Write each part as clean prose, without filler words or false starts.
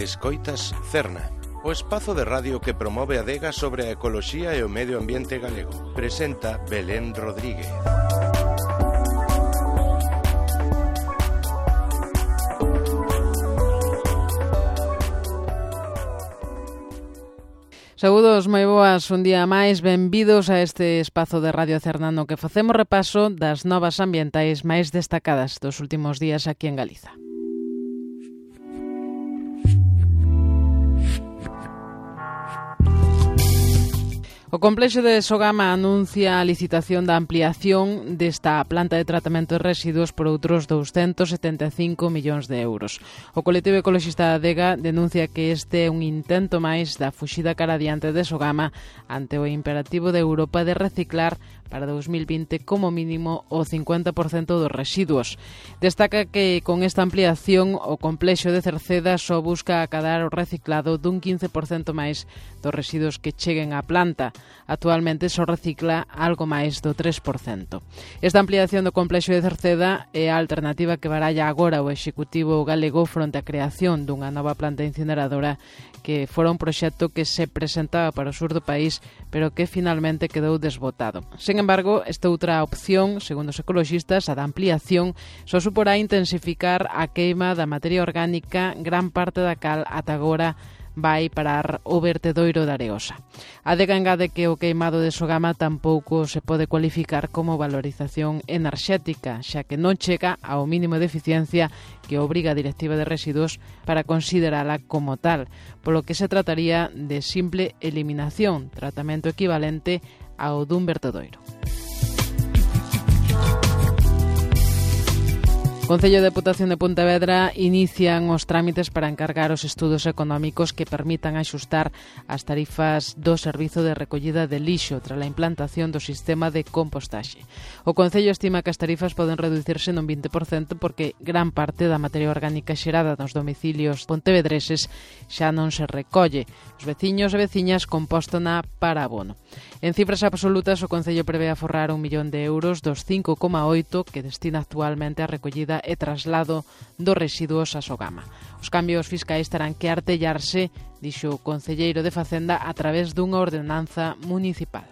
Escoitas Cerna, o espazo de radio que promove a adega sobre a ecoloxía e o medio ambiente galego. Presenta Belén Rodríguez. Saúdos, moi boas, un día máis, benvidos a este espazo de Radio Cerna no que facemos repaso das novas ambientais máis destacadas dos últimos días aquí en Galiza. O complexo de Sogama anuncia a licitación da ampliación desta planta de tratamento de residuos por outros 275 millóns de euros. O colectivo ecoloxista da Adega denuncia que este é un intento máis da fuxida cara adiante de Sogama ante o imperativo de Europa de reciclar para 2020 como mínimo o 50% dos residuos. Destaca que con esta ampliación o complexo de Cerceda só busca acadar o reciclado dun 15% máis dos residuos que cheguen á planta. Actualmente só recicla algo máis do 3%. Esta ampliación do complexo de Cerceda é a alternativa que baralla agora o Executivo galego fronte á creación dunha nova planta incineradora que fora un proxecto que se presentaba para o sur do país, pero que finalmente quedou desbotado. Sen embargo, esta outra opción, segundo os ecoloxistas, a da ampliación, só suporá intensificar a queima da materia orgánica, gran parte da cal ata agora vai parar o vertedoiro da Areosa. A Adega engade que o queimado de Sogama tampouco se pode cualificar como valorización enerxética, xa que non chega ao mínimo de eficiencia que obriga a Directiva de Residuos para considerala como tal, polo que se trataría de simple eliminación, tratamento equivalente ao dun vertedoiro. O Concello de Deputación de Pontevedra inician os trámites para encargar os estudos económicos que permitan axustar as tarifas do servizo de recollida de lixo tras a implantación do sistema de compostaxe. O Concello estima que as tarifas poden reducirse nun 20% porque gran parte da materia orgánica xerada nos domicilios pontevedreses xa non se recolle. Os veciños e veciñas compóstona para abono. En cifras absolutas, o Concello prevé aforrar 1 millón de euros dos 5,8 que destina actualmente a recollida e traslado dos residuos a Sogama. Os cambios fiscais terán que artellarse, dixo o concelleiro de Facenda, a través dunha ordenanza municipal.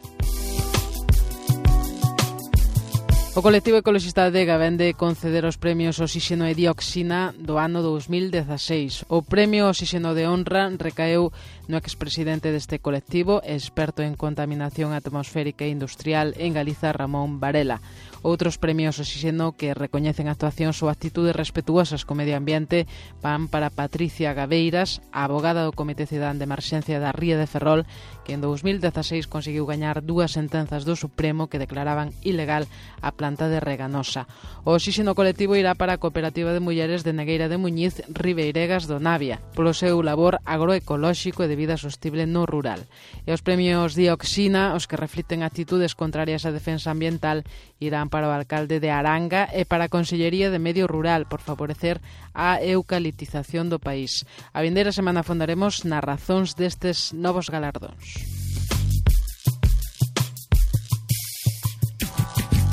O colectivo ecoloxista da Adega vende conceder os premios Oxígeno e Dioxina do ano 2016. O premio Oxígeno de Honra recaeu no expresidente deste colectivo, experto en contaminación atmosférica e industrial en Galiza, Ramón Varela. Outros premios Oxígeno que recoñecen actuacións ou actitudes respetuosas co medio ambiente van para Patricia Gabeiras, a abogada do Comité Cidadán de Emerxencia da Ría de Ferrol, que en 2016 conseguiu gañar 2 sentenzas do Supremo que declaraban ilegal a planta de Reganosa. O Oxígeno colectivo irá para a Cooperativa de Mulleres de Negueira de Muñiz, Ribeiregas do Navia, polo seu labor agroecolóxico e de vida sostible no rural. E os premios Dioxina, os que refliten actitudes contrarias á defensa ambiental, irán para o alcalde de Aranga e para a Consellería de Medio Rural por favorecer a eucaliptización do país. A vindeira semana fondaremos nas razóns destes novos galardóns.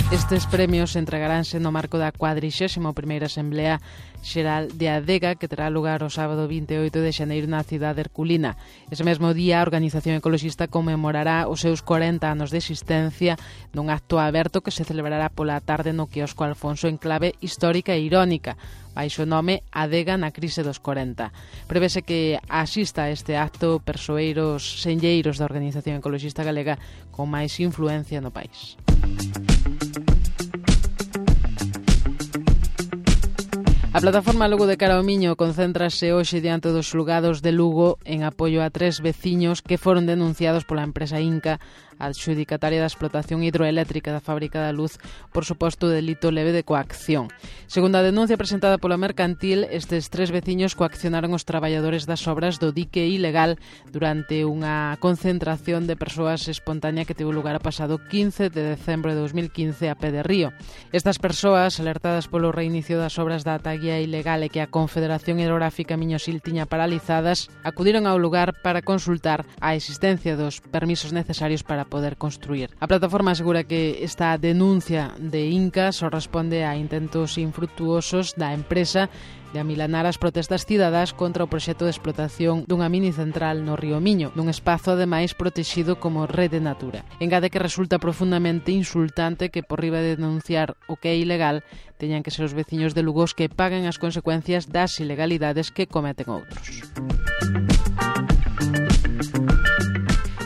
Estes premios entregaránse no marco da 41ª Asamblea Xeral de Adega, que terá lugar o sábado 28 de xaneiro na cidade herculina. Ese mesmo día, a organización ecoloxista conmemorará os seus 40 anos de existencia nun acto aberto que se celebrará pola tarde no quiosco Alfonso en clave histórica e irónica, baixo o nome Adega na crise dos 40. Prevese que asista a este acto persoeiros senlleiros da organización ecoloxista galega con máis influencia no país. A plataforma Lugo de Cara ao Miño concéntrase hoxe diante dos xulgados de Lugo en apoio a 3 veciños que foron denunciados pola empresa Inca, adxudicataria da explotación hidroeléctrica da Fábrica da Luz, por suposto delito leve de coacción. Segundo a denuncia presentada pola Mercantil, estes 3 veciños coaccionaron os traballadores das obras do dique ilegal durante unha concentración de persoas espontánea que tivo lugar o pasado 15 de decembro de 2015 a pé de Río. Estas persoas, alertadas polo reinicio das obras da ataguía ilegal e que a Confederación Hidrográfica Miñosil tiña paralizadas, acudiron ao lugar para consultar a existencia dos permisos necesarios para poder construir. A plataforma asegura que esta denuncia de Inca só responde a intentos infrutuosos da empresa de amilanar as protestas cidadás contra o proxecto de explotación dunha mini central no río Miño, nun espazo ademais protexido como Rede Natura. Engade que resulta profundamente insultante que, por riba de denunciar o que é ilegal, teñan que ser os veciños de Lugo os que paguen as consecuencias das ilegalidades que cometen outros.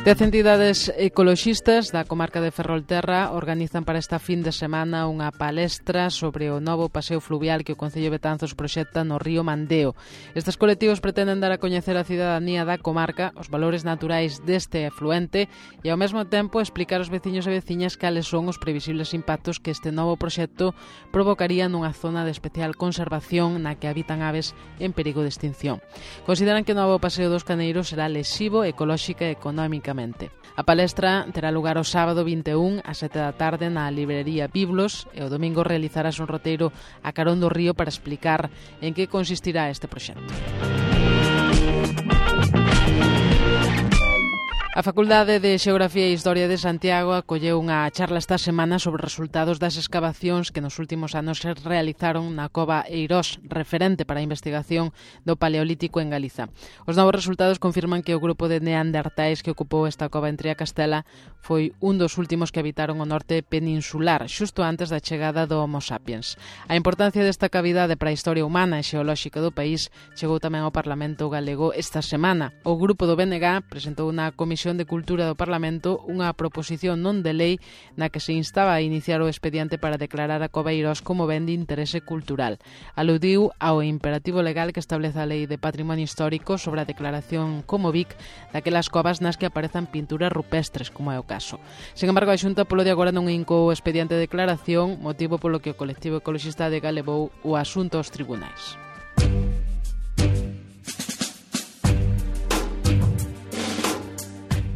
10 entidades ecoloxistas da comarca de Ferrolterra organizan para esta fin de semana unha palestra sobre o novo paseo fluvial que o Concello de Betanzos proxecta no río Mandeo. Estes colectivos pretenden dar a coñecer a cidadanía da comarca os valores naturais deste afluente e ao mesmo tempo explicar aos veciños e veciñas cales son os previsibles impactos que este novo proxecto provocaría nunha zona de especial conservación na que habitan aves en perigo de extinción. Consideran que o novo paseo dos Caneiros será lesivo ecolóxica e económica. A palestra terá lugar o sábado 21 ás 7 da tarde na librería Biblos e o domingo realizarás un roteiro a carón do río para explicar en que consistirá este proxecto. A Facultade de Xeografía e Historia de Santiago acolleu unha charla esta semana sobre os resultados das escavacións que nos últimos anos se realizaron na cova Eirós, referente para a investigación do Paleolítico en Galiza. Os novos resultados confirman que o grupo de neandertais que ocupou esta cova en Triacastela foi un dos últimos que habitaron o norte peninsular, xusto antes da chegada do Homo sapiens. A importancia desta cavidade para a historia humana e xeolóxica do país chegou tamén ao Parlamento galego esta semana. O grupo do BNG presentou na Comisión de Cultura do Parlamento unha proposición non de lei na que se instaba a iniciar o expediente para declarar a cova Eirós como ben de interese cultural. Aludiu ao imperativo legal que establece a Lei de Patrimonio Histórico sobre a declaración como BIC daquelas covas nas que aparezan pinturas rupestres, como é o caso. Sen embargo, a Xunta polo de agora non incou o expediente de declaración, motivo polo que o colectivo ecoloxista adega levou o asunto aos tribunais.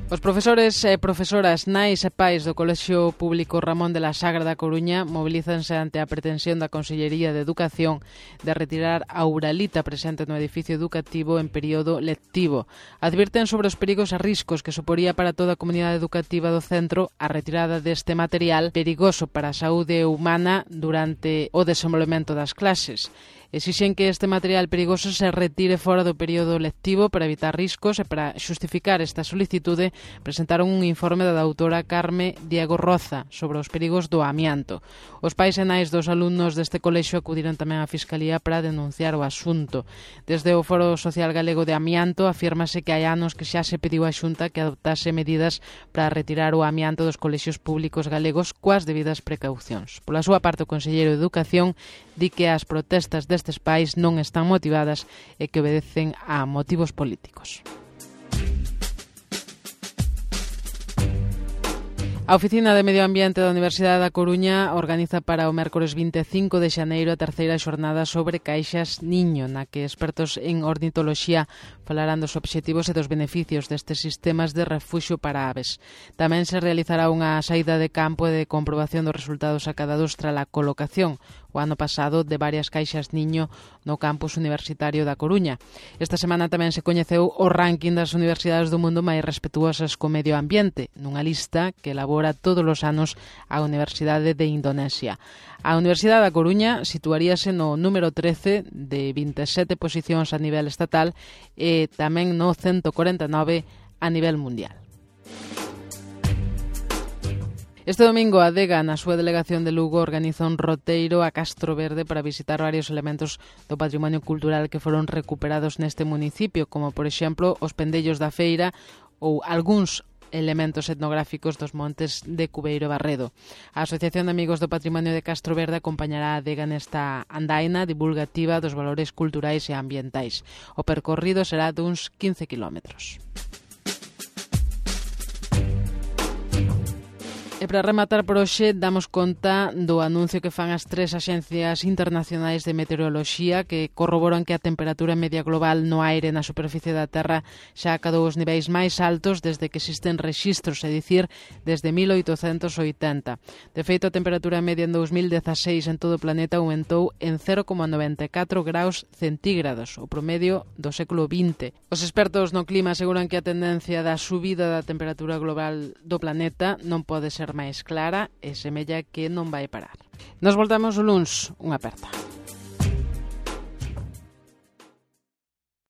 Os profesores e profesoras, nais e pais do Colexio Público Ramón de la Sagra da Coruña mobilízanse ante a pretensión da Consellería de Educación de retirar a uralita presente no edificio educativo en período lectivo. Advirten sobre os perigos e riscos que suporía para toda a comunidade educativa do centro a retirada deste material perigoso para a saúde humana durante o desenvolvemento das clases. Exixen que este material perigoso se retire fora do período lectivo para evitar riscos e para xustificar esta solicitude presentaron un informe da doutora Carme Diego Roza sobre os perigos do amianto. Os pais e nais dos alumnos deste colexio acudiron tamén á Fiscalía para denunciar o asunto. Desde o Foro Social Galego de Amianto afírmase que hai anos que xa se pediu á Xunta que adoptase medidas para retirar o amianto dos colexios públicos galegos coas debidas precaucións. Pola súa parte, o Conselleiro de Educación di que as protestas destes pais non están motivadas e que obedecen a motivos políticos. A Oficina de Medio Ambiente da Universidade da Coruña organiza para o mércores 25 de xaneiro a terceira xornada sobre caixas niño, na que expertos en ornitoloxía falarán dos obxectivos e dos beneficios destes sistemas de refuxio para aves. Tamén se realizará unha saída de campo e de comprobación dos resultados acadados tras a colocación o ano pasado de varias caixas niño no campus universitario da Coruña. Esta semana tamén se coñeceu o ranking das universidades do mundo máis respetuosas co medio ambiente, nunha lista que elabora todos os anos a Universidade de Indonesia. A Universidade da Coruña situaríase no número 13 de 27 posicións a nivel estatal e tamén no 149 a nivel mundial. Este domingo a Adega, na súa delegación de Lugo, organiza un roteiro a Castro Verde para visitar varios elementos do patrimonio cultural que foron recuperados neste municipio, como, por exemplo, os pendellos da feira ou algúns elementos etnográficos dos montes de Cubeiro Barredo. A Asociación de Amigos do Patrimonio de Castro Verde acompañará a adega nesta andaina divulgativa dos valores culturais e ambientais. O percorrido será duns 15 kilómetros. E para rematar por hoxe, damos conta do anuncio que fan as tres axencias internacionais de meteoroloxía que corroboran que a temperatura media global no aire na superficie da Terra xa acadou os niveis máis altos desde que existen rexistros, é dicir, desde 1880. De feito, a temperatura media en 2016 en todo o planeta aumentou en 0,94 graus centígrados, o promedio do século XX. Os expertos no clima aseguran que a tendencia da subida da temperatura global do planeta non pode ser máis clara e semella que non vai parar. Nos voltamos o luns. Unha aperta.